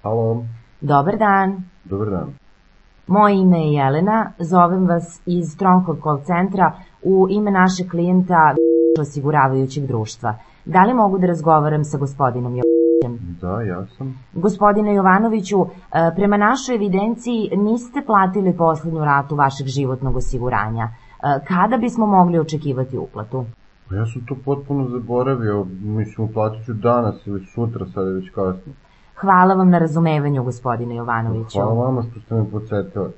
Halo. Dobar dan. Dobar dan. Moje ime je Jelena, zovem vas iz Stronghold call centra u ime našeg klijenta osiguravajućeg društva. Da li mogu da razgovaram sa gospodinom Jovanovićem? Da, ja sam. Gospodine Jovanoviću, prema našoj evidenciji niste platili poslednju ratu vašeg životnog osiguranja. Kada bismo mogli očekivati uplatu? Ja sam to potpuno zaboravio, mislim uplatit ću danas ili sutra, sad je već kasno. Hvala vam na razumevanju, gospodine Jovanoviću. Hvala vama što ste me podsjetili.